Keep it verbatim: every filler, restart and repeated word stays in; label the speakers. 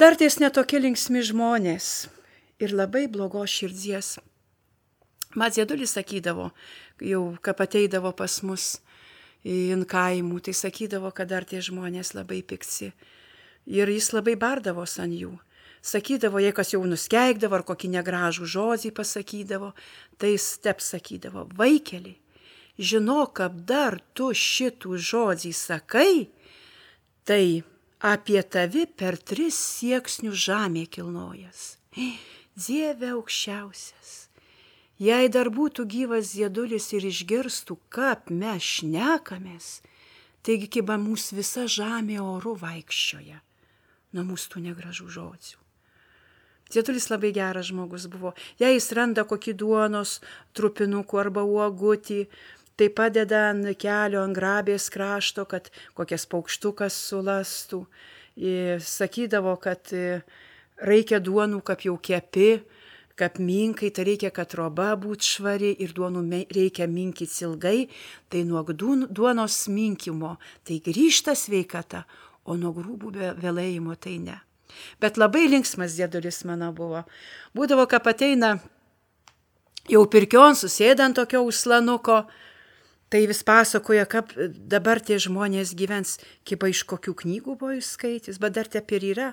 Speaker 1: Dar ties netokie linksmi žmonės ir labai blogos širdies. Mat Ziedulis sakydavo, jau kaip ateidavo pas mus į kaimų, tai sakydavo, kad dar tie žmonės labai pikti. Ir jis labai bardavos ant jų. Sakydavo, jei kas jau nuskeikdavo ar kokį negražų žodį pasakydavo, tai jis tep sakydavo, vaikeli, žinok, kad dar tu šitų žodį sakai, tai apie tavi per tris sieksnių žemė kilnojas. Dieve aukščiausias, jei dar būtų gyvas Ziedulis ir išgirstų, kaip mes šnekamės, taigi kiba mūsų visa žemė oru vaikščioja nuo mūsų tų negražų žodžių. Ziedulis labai geras žmogus buvo. Jei jis randa kokį duonos trupinukų arba uogutį, tai padeda ant kelio, ant grabės krašto, kad kokias paukštukas sulastų. Ir sakydavo, kad reikia duonų, kaip jau kepi, kaip minkai, tai reikia, kad roba būtų švari ir duonų reikia minkyti ilgai, tai nuo duonos minkimo tai grįžta sveikata, o nuo grūbų vėlėjimo tai ne. Bet labai linksmas Ziedulis mano buvo. Būdavo, kad ateina jau pirkion, susėda ant tokio uslanuko, tai vis pasakoja, kaip dabar tie žmonės gyvens, kaip iš kokių knygų buvo išskaitys, bet dar taip ir yra.